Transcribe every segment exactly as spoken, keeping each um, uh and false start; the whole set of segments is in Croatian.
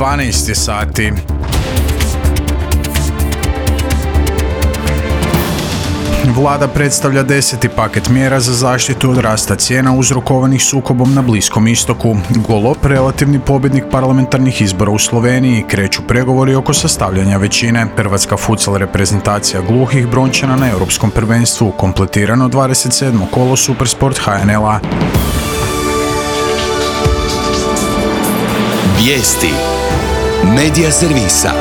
dvanaest je sati. Vlada predstavlja deseti paket mjera za zaštitu od rasta cijena uzrokovanih sukobom na Bliskom istoku. Golob, relativni pobjednik parlamentarnih izbora u Sloveniji, kreću pregovori oko sastavljanja većine. Hrvatska futsal reprezentacija gluhih brončana na Europskom prvenstvu, kompletirano dvadeset sedmo kolo Supersport H N L-a. Vijesti Medija servisa.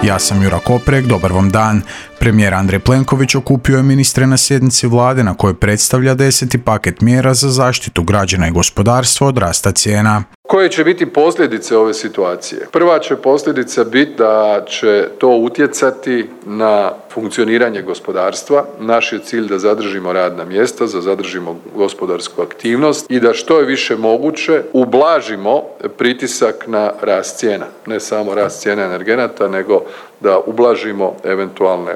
Ja sam Jura Koprek, dobar vam dan. Premijer Andrej Plenković okupio je ministre na sjednici vlade na kojoj predstavlja deseti paket mjera za zaštitu građana i gospodarstva od rasta cijena. Koje će biti posljedice ove situacije? Prva će posljedica biti da će to utjecati na funkcioniranje gospodarstva. Naš je cilj da zadržimo radna mjesta, da zadržimo gospodarsku aktivnost i da što je više moguće ublažimo pritisak na rast cijena. Ne samo rast cijena energenata, nego da ublažimo eventualne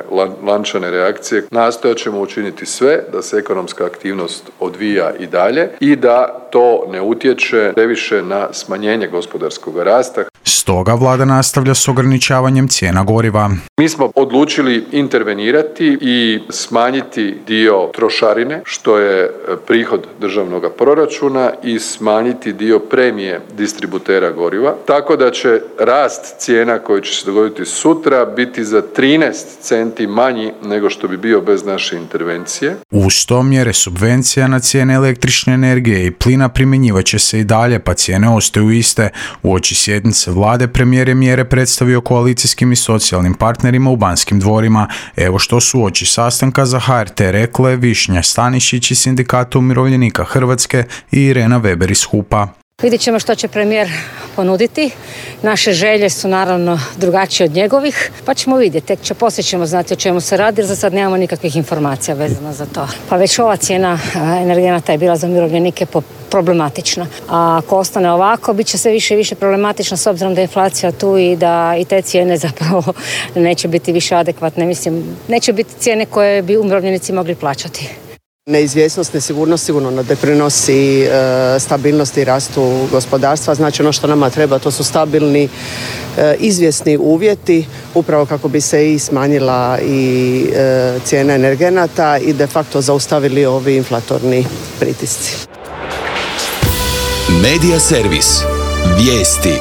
lančane reakcije. Nastojat ćemo učiniti sve da se ekonomska aktivnost odvija i dalje i da to ne utječe previše na smanjenje gospodarskog rasta. Stoga vlada nastavlja s ograničavanjem cijena goriva. Mi smo odlučili intervenirati i smanjiti dio trošarine, što je prihod državnog proračuna, i smanjiti dio premije distributera goriva, tako da će rast cijena koji će se dogoditi sutra biti za trinaest centi manji nego što bi bio bez naše intervencije. Uz to mjere subvencija na cijene električne energije i plina primjenjivat će se i dalje, pa cijene ostaju iste. Uoči sjednice vlade premijer je mjere predstavio koalicijskim i socijalnim partnerima u Banskim dvorima. Evo što su uoči sastanka za H R T rekle Višnja Stanišić iz Sindikata umirovljenika Hrvatske i Irena Weber iz H U P-a. Vidjet ćemo što će premijer ponuditi. Naše želje su naravno drugačije od njegovih, pa ćemo vidjeti. Tek će poslije ćemo znati o čemu se radi, jer za sad nemamo nikakvih informacija vezano za to. Pa već ova cijena energenata je bila za umirovljenike problematična. A ako ostane ovako, bit će sve više i više problematična s obzirom da je inflacija tu i da i te cijene zapravo neće biti više adekvatne. Mislim, neće biti cijene koje bi umirovljenici mogli plaćati. Neizvjesnost, nesigurnost sigurno ne doprinosi e, stabilnosti i rastu gospodarstva. Znači ono što nama treba, to su stabilni, e, izvjesni uvjeti, upravo kako bi se i smanjila i e, cijena energenata i de facto zaustavili ovi inflatorni pritisci. Medija servis. Vijesti.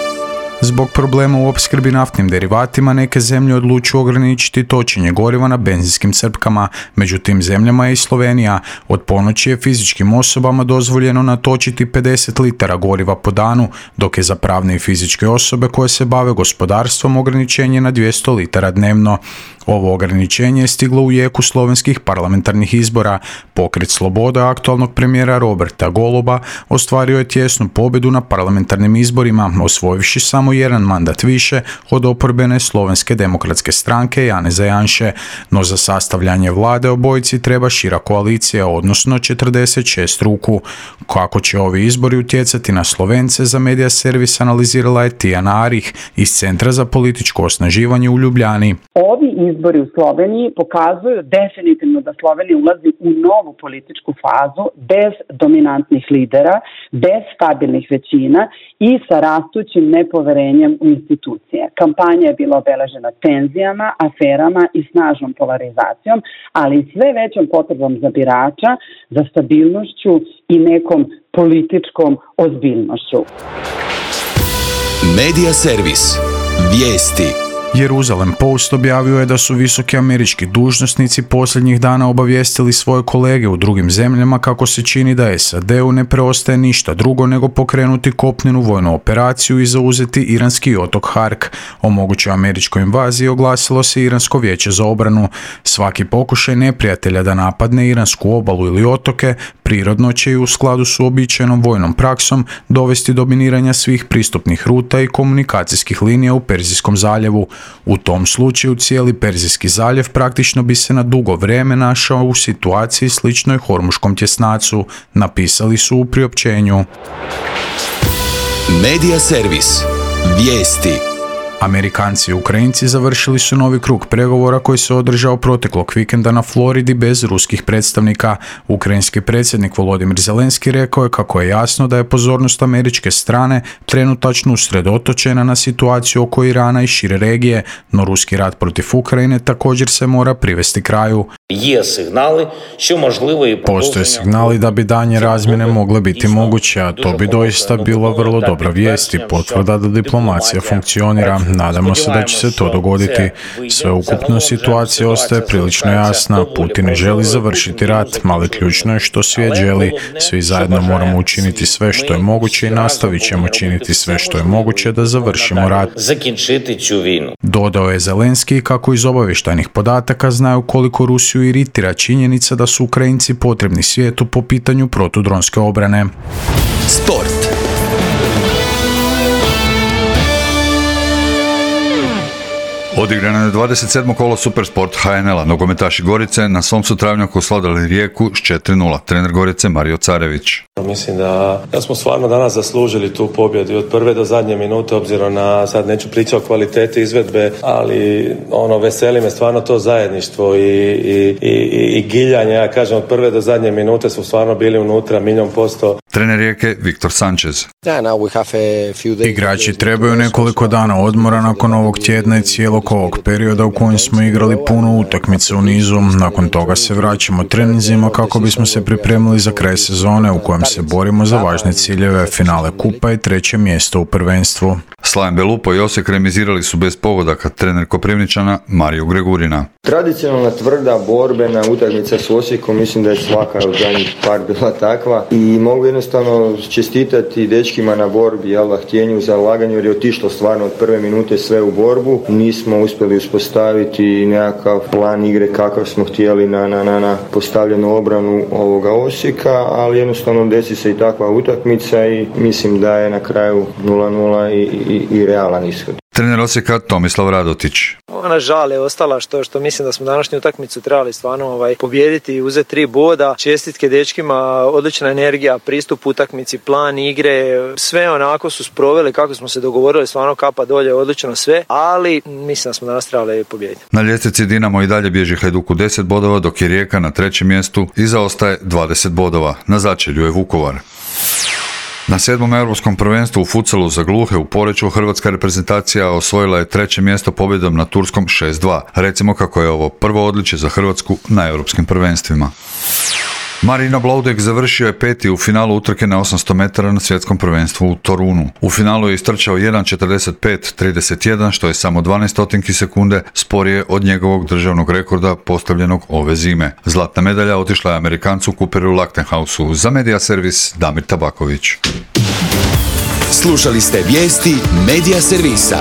Zbog problema u opskrbi naftnim derivatima neke zemlje odlučuju ograničiti točenje goriva na benzinskim crpkama. Među tim zemljama je i Slovenija. Od ponoći je fizičkim osobama dozvoljeno natočiti pedeset litara goriva po danu, dok je za pravne i fizičke osobe koje se bave gospodarstvom ograničenje na dvjesto litara dnevno. Ovo ograničenje je stiglo u jeku slovenskih parlamentarnih izbora. Pokret Sloboda aktualnog premijera Roberta Goloba ostvario je tjesnu pobjedu na parlamentarnim izborima, osvojivši samo jedan mandat više od oporbene Slovenske demokratske stranke Janeza Janše, no za sastavljanje vlade obojici treba šira koalicija, odnosno četrdeset šest ruku. Kako će ovi izbori utjecati na Slovence, za Medija servis analizirala je Tijana Arih iz Centra za političko osnaživanje u Ljubljani. Ovi izbori u Sloveniji pokazuju definitivno da Slovenija ulazi u novu političku fazu bez dominantnih lidera, bez stabilnih većina i sa rastućim nepoverenjem u institucije. Kampanja je bila obeležena tenzijama, aferama i snažnom polarizacijom, ali i sve većom potrebom za birača, za stabilnošću i nekom političkom ozbiljnošću. Medija servis. Vijesti. Jerusalem Post objavio je da su visoki američki dužnosnici posljednjih dana obavijestili svoje kolege u drugim zemljama kako se čini da S A D-u ne preostaje ništa drugo nego pokrenuti kopnenu vojnu operaciju i zauzeti iranski otok Hark. O mogućoj američkoj invaziji oglasilo se Iransko vijeće za obranu. Svaki pokušaj neprijatelja da napadne iransku obalu ili otoke prirodno će i u skladu s uobičajenom vojnom praksom dovesti do miniranja svih pristupnih ruta i komunikacijskih linija u Perzijskom zaljevu. U tom slučaju cijeli Perzijski zaljev praktično bi se na dugo vrijeme našao u situaciji sličnoj Hormuškom tjesnacu, napisali su u priopćenju. Medija servis. Vijesti. Amerikanci i Ukrajinci završili su novi krug pregovora koji se održao proteklog vikenda na Floridi bez ruskih predstavnika. Ukrajinski predsjednik Volodimir Zelenski rekao je kako je jasno da je pozornost američke strane trenutačno usredotočena na situaciju oko Irana i šire regije, no ruski rat protiv Ukrajine također se mora privesti kraju. Postoje signali da bi danje razmjene mogle biti moguće, a to bi doista bila vrlo dobra vijest i potvrda da diplomacija funkcionira. Nadamo se da će se to dogoditi. Sveukupno situacija ostaje prilično jasna. Putin ne želi završiti rat, ali ključno je što svijet želi. Svi zajedno moramo učiniti sve što je moguće i nastavit ćemo činiti sve što je moguće da završimo rat. Dodao je Zelenski kako iz obavještajnih podataka znaju koliko Rusiju iritira činjenica da su Ukrajinci potrebni svijetu po pitanju protudronske obrane. Sport. Odigrano je dvadeset sedmo kolo Supersport ha en el-a. Nogometaši Gorice na svom su travnjaku osladili Rijeku s četiri nula. Trener Gorice Mario Carević. Mislim da, da smo stvarno danas zaslužili tu pobjedu od prve do zadnje minute, obzirom na, sad neću pričati o kvaliteti izvedbe, ali ono, veseli me stvarno to zajedništvo i, i, i, i giljanje. Ja kažem, od prve do zadnje minute su stvarno bili unutra milijon posto. Trener Rijeke Viktor Sanchez. Igrači trebaju nekoliko dana odmora nakon ovog tjedna i cijelog ovog perioda u kojem smo igrali puno utakmice u nizu. Nakon toga se vraćamo treninzima kako bismo se pripremili za kraj sezone u kojem se borimo za važne ciljeve, finale kupa i treće mjesto u prvenstvu. Slaven Belupo i Osijek remizirali su bez pogodaka. Trener Koprivničana Mario Gregurina. Tradicionalna tvrda borbena utakmica s Osijekom, mislim da je svaka od zadnjih par bila takva i mogu jednostavno čestitati dečkima na borbi, jel da, htjenju, zalaganju, jer je otišlo stvarno od prve minute sve u borbu. Nismo uspjeli uspostaviti nekakav plan igre kakav smo htjeli na, na, na, na postavljenu obranu ovoga Osijeka, ali jednostavno desi se i takva utakmica i mislim da je na kraju nula nula i, i, i realan ishod. Trener Osijeka Tomislav Radotić. Ona žal je ostala što, što mislim da smo današnju utakmicu trebali stvarno ovaj, pobijediti i uzeti tri boda. Čestitke dečkima, odlična energija, pristup utakmici, plan igre, sve onako su sproveli kako smo se dogovorili, stvarno kapa dolje, odlično sve, ali mislim da smo danas trebali pobijediti. Na ljestvici Dinamo i dalje bježi Hajduku deset bodova, dok je Rijeka na trećem mjestu i zaostaje dvadeset bodova. Na začelju je Vukovar. Na sedmom europskom prvenstvu u futsalu za gluhe u Poreču hrvatska reprezentacija osvojila je treće mjesto pobjedom na turskom šest dva. Recimo kako je ovo prvo odličje za Hrvatsku na europskim prvenstvima. Marino Bloudek završio je peti u finalu utrke na osamsto metara na svjetskom prvenstvu u Torunu. U finalu je istrčao jedan četrdeset pet trideset jedan, što je samo dvanaest stotinki sekunde sporije od njegovog državnog rekorda postavljenog ove zime. Zlatna medalja otišla je Amerikancu Cooperu Lachtenhausu. Za Media Servis Damir Tabaković. Slušali ste vijesti Media Servisa.